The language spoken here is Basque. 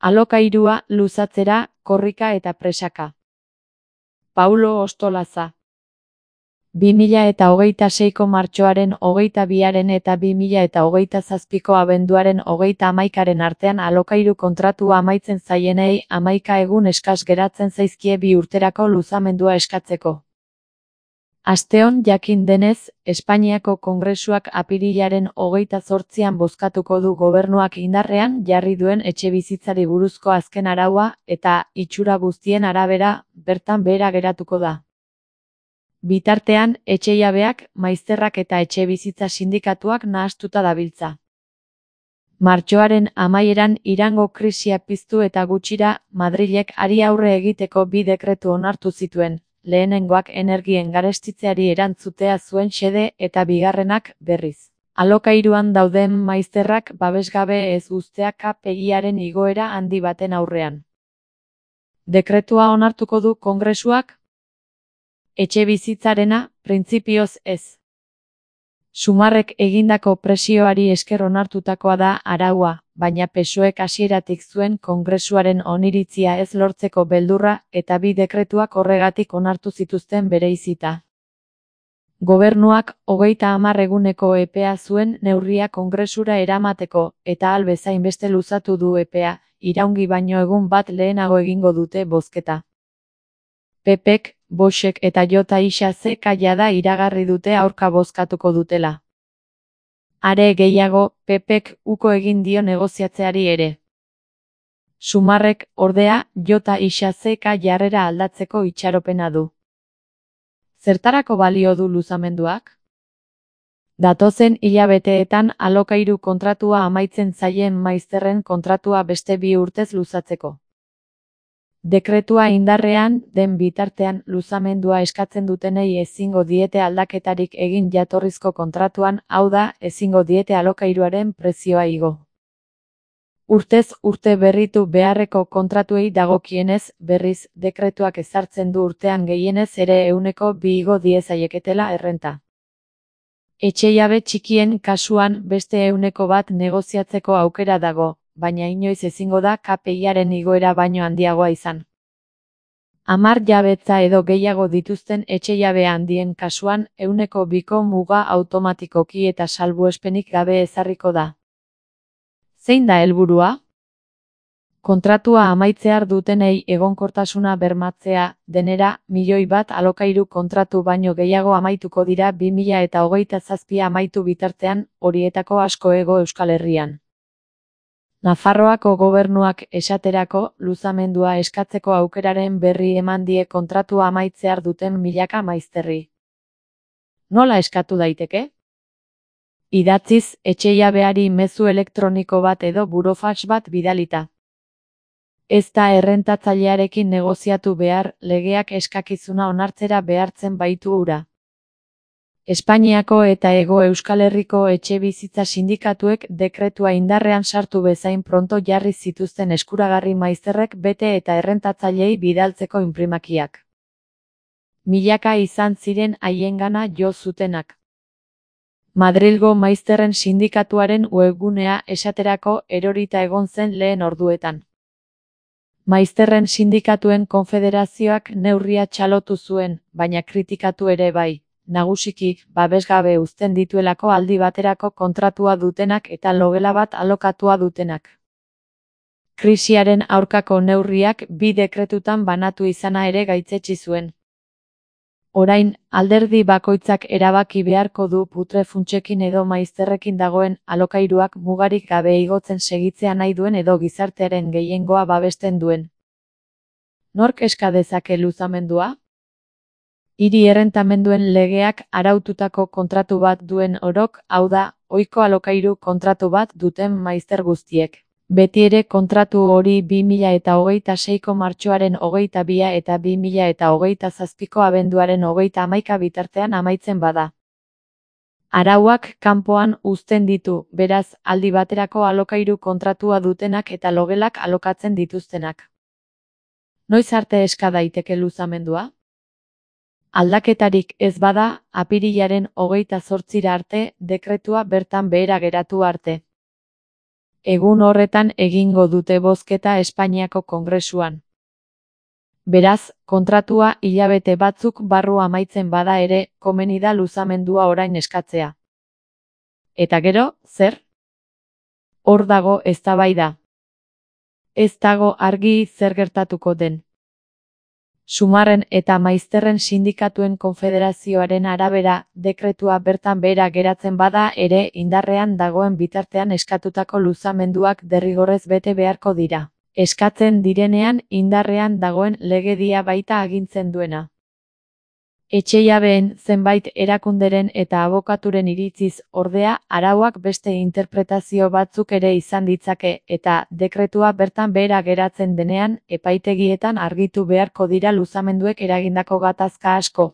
Alokairua luzatzera, korrika eta presaka. Paulo Ostolaza. 2026ko martxoaren 22 eta 2027ko abenduaren 31 artean alokairu kontratua amaitzen zaienei 11 egun eskas geratzen zaizkie 2 urterako luzamendua eskatzeko. Asteon jakin denez, Espainiako Kongresuak apirilaren 28an bozkatuko du gobernuak indarrean jarri duen etxebizitzari buruzko azken araua eta, itxura guztien arabera, bertan behera geratuko da. Bitartean, etxejabeak, maizterrak eta etxebizitza sindikatuak nahastuta dabiltza. Martxoaren amaieran Irango krisia piztu eta gutxira, Madrilek hari aurre egiteko 2 dekretu onartu zituen. Lehenengoak energien garestitzeari erantzutea zuen xede eta bigarrenak, berriz, alokairuan dauden maizterrak babesgabe ez uztea KPI-aren igoera handi baten aurrean. Dekretua onartuko du Kongresuak? Etxebizitzarena, printzipioz ez. Sumarrek egindako presioari esker onartutakoa da araua, baina PSOEk hasieratik zuen Kongresuaren oniritzia ez lortzeko beldurra eta 2 dekretuak horregatik onartu zituzten bereizita. Gobernuak 30 eguneko epea zuen neurria Kongresura eramateko eta ahal bezain beste luzatu du epea, iraungi baino egun bat lehenago egingo dute bozketa. PPek, Voxek eta JXK jada iragarri dute aurka bozkatuko dutela. Are gehiago, PPek uko egin dio negoziatzeari ere. Sumarrek, ordea, JXK jarrera aldatzeko itxaropena du. Zertarako balio du luzamenduak? Datozen hilabeteetan alokairu kontratua amaitzen zaien maizterren kontratua beste 2 urtez luzatzeko. Dekretua indarrean den bitartean luzamendua eskatzen dutenei ezingo diete aldaketarik egin jatorrizko kontratuan, hau da, ezingo diete alokairuaren prezioa igo. Urtez urte berritu beharreko kontratuei dagokienez, berriz, dekretuak ezartzen du urtean gehienez ere 2% igo diezaieketela errenta. Etxejabe txikien kasuan beste 1% negoziatzeko aukera dago, baina inoiz ezingo da KPI-aren igoera baino handiagoa izan. 10 jabetza edo gehiago dituzten etxejabe handien kasuan 2% muga automatikoki eta salbuespenik gabe ezarriko da. Zein da helburua? Kontratua amaitzear dutenei egonkortasuna bermatzea, denera, 1.000.000 alokairu kontratu baino gehiago amaituko dira 2027 amaitu bitartean, horietako asko hego Euskal Herrian. Nafarroako gobernuak esaterako luzamendua eskatzeko aukeraren berri eman die kontratua amaitzear duten milaka maizterri. Nola eskatu daiteke? Idatziz, etxejabeari mezu elektroniko bat edo burofax bat bidalita. Ez da errentatzailearekin negoziatu behar, legeak eskakizuna onartzera behartzen baitu hura. Espainiako eta Hego Euskal Herriko etxebizitza sindikatuek dekretua indarrean sartu bezain pronto jarri zituzten eskuragarri maizterrek bete eta errentatzaileei bidaltzeko inprimakiak. Milaka izan ziren haiengana jo zutenak. Madrilgo maizterren sindikatuaren webgunea esaterako erorita egon zen lehen orduetan. Maizterren sindikatuen konfederazioak neurria txalotu zuen, baina kritikatu ere bai. Nagusiki, babesgabe uzten dituelako aldi baterako kontratua dutenak eta logela bat alokatua dutenak. Krisiaren aurkako neurriak 2 dekretutan banatu izana ere gaitzetsi zuen. Orain, alderdi bakoitzak erabaki beharko du putrefuntsekin edo maizterrekin dagoen alokairuak mugarik gabe igotzen segitzea nahi duen edo gizartearen gehiengoa babesten duen. Nork eska dezake luzamendua? Hiri errentamenduen legeak araututako kontratu bat duen orok, hau da, ohiko alokairu kontratu bat duten maizter guztiek. Beti ere kontratu hori 2026ko martxoaren 22 eta 2027ko abenduaren 31 bitartean amaitzen bada. Arauak kanpoan uzten ditu, beraz, aldi baterako alokairu kontratua dutenak eta logelak alokatzen dituztenak. Noiz arte eska daiteke luzamendua? Aldaketarik ez bada, apirilaren 28 arte, dekretua bertan behera geratu arte. Egun horretan egingo dute bozketa Espainiako Kongresuan. Beraz, kontratua hilabete batzuk barru amaitzen bada ere, komeni da luzamendua orain eskatzea. Eta gero, zer? Hor dago eztabaida. Ez dago argi zer gertatuko den. Sumarren eta Maizterren sindikatuen konfederazioaren arabera, dekretua bertan behera geratzen bada ere indarrean dagoen bitartean eskatutako luzamenduak derrigorrez bete beharko dira. Eskatzen direnean indarrean dagoen legedia baita agintzen duena. Etxejabeen zenbait erakunderen eta abokaturen iritziz ordea arauak beste interpretazio batzuk ere izan ditzake eta dekretua bertan behera geratzen denean epaitegietan argitu beharko dira luzamenduek eragindako gatazka asko.